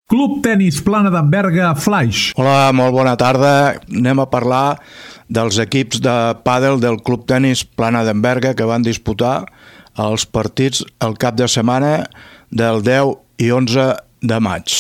Club Tenis Plana d'en Berga Flaix. Hola, molt bona tarda. Anem a parlar dels equips de pàdel del Club Tenis Plana d'en Berga que van disputar els partits el cap de setmana del 10 i 11 de maig.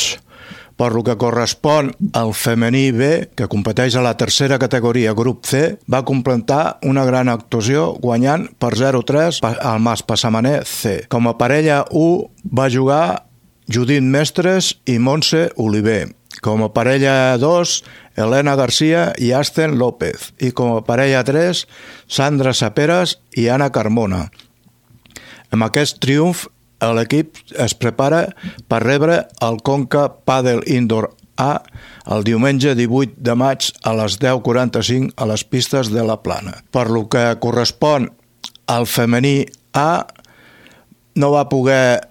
Per lo que correspon al femení B, que competeix a la tercera categoria grup C, va completar una gran actuació guanyant per 0-3 al Mas Passamaner C. Com a parella 1 va jugar Judit Mestres i Montse Oliver. Com a parella 2, Elena Garcia i Asten López. I com a parella 3, Sandra Saperas i Anna Carmona. Amb aquest triomf, l'equip es prepara per rebre el Conca Padel Indoor A el diumenge 18 de maig a les 10:45 a les pistes de la Plana. Per lo que correspon al femení A, no va poder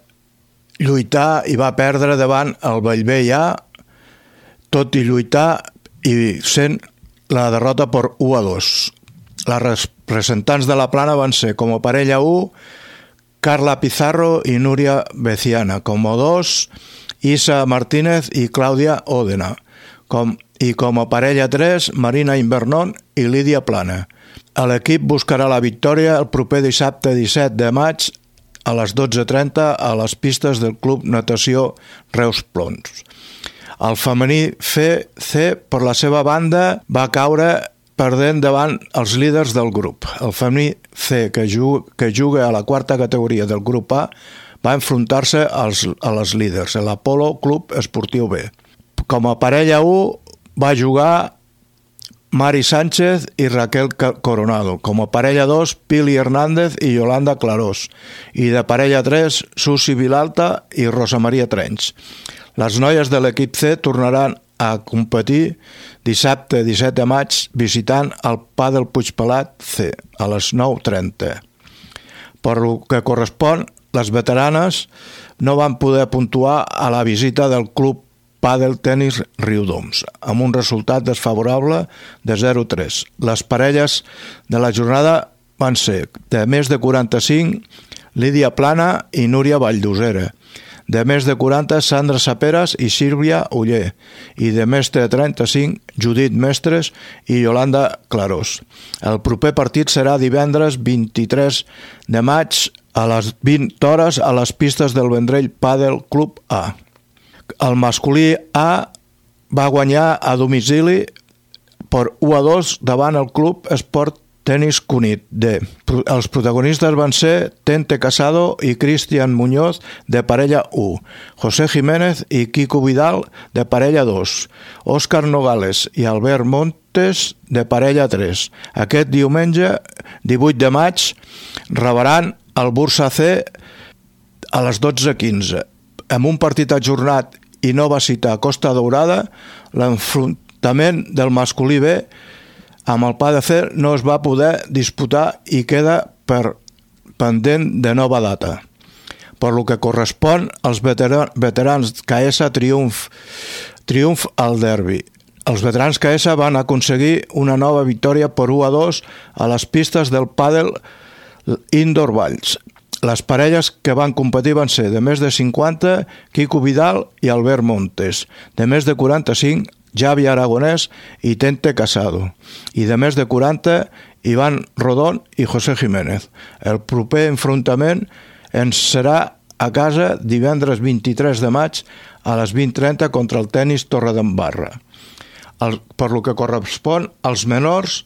lluitar i va perdre davant el Bellvei A, tot i lluitar i sent la derrota per 1-2. Les representants de la Plana van ser, com a parella 1, Carla Pizarro i Núria Beciana. Com a 2, Isa Martínez i Clàudia Òdena. I com a parella 3, Marina Invernón i Lídia Plana. L'equip buscarà la victòria el proper dissabte 17 de maig a les 12:30 a les pistes del Club Natació Reus Plons. El femení C, per la seva banda, va caure perdent davant els líders del grup. El femení C, que juga a la quarta categoria del grup A, va enfrontar-se a les líders, l'Apolo Club Esportiu B. Com a parella 1 va jugar Mari Sánchez i Raquel Coronado. Com a parella 2, Pili Hernández i Yolanda Clarós. I de parella 3, Susi Vilalta i Rosa Maria Trenys. Les noies de l'equip C tornaran a competir dissabte 17 de maig visitant el Pàdel Puigpelat C a les 9:30. Per lo que correspon, les veteranes no van poder puntuar a la visita del Club Pàdel Tenis Riudoms, amb un resultat desfavorable de 0-3. Les parelles de la jornada van ser de més de 45, Lídia Plana i Núria Valldosera, de més de 40, Sandra Saperas i Sílvia Oller, i de més de 35, Judit Mestres i Yolanda Clarós. El proper partit serà divendres 23 de maig a les 20 hores a les pistes del Vendrell Pàdel Club A. El masculí A va guanyar a domicili per 1-2 davant el Club Esport Tenis Cunit D. Els protagonistes van ser Tente Casado i Cristian Muñoz de parella 1, José Jiménez i Kiko Vidal de parella 2, Òscar Nogales i Albert Montes de parella 3. Aquest diumenge 18 de maig rebaran el Bursa C a les 12:15. Amb un partit ajornat i nova cita a Costa Daurada, l'enfrontament del masculí B amb el Padel C no es va poder disputar i queda pendent de nova data. Per lo que correspon als veterans KS triomf al derbi. Els veterans KS van aconseguir una nova victòria per 1-2 a les pistes del Pàdel Indoor Valls. Les parelles que van competir van ser de més de 50, Kiko Vidal i Albert Montes, de més de 45, Javi Aragonès i Tente Casado, i de més de 40, Iván Rodón i José Jiménez. El proper enfrontament ens serà a casa divendres 23 de maig a les 20:30 contra el Tenis Torredembarra. Per lo que correspon als menors,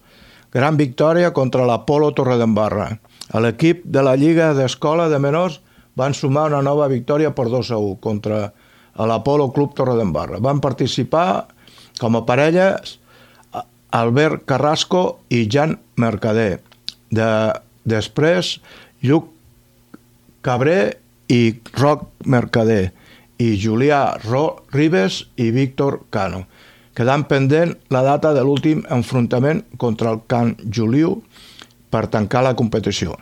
gran victòria contra l'Apolo Torredembarra. L'equip de la Lliga d'Escola de Menors van sumar una nova victòria per 2-1 contra l'Apolo Club Torredembarra. Van participar com a parelles Albert Carrasco i Jan Mercader. Després, Lluc Cabré i Roc Mercader, i Julià Ribes i Víctor Cano, quedant pendent la data de l'últim enfrontament contra el Can Juliu per tancar la competició.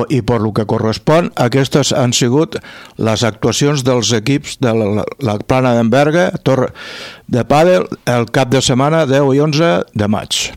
I per lo que correspon, aquestes han sigut les actuacions dels equips de la Plana d'en Berga de pàdel el cap de setmana 10 i 11 de maig.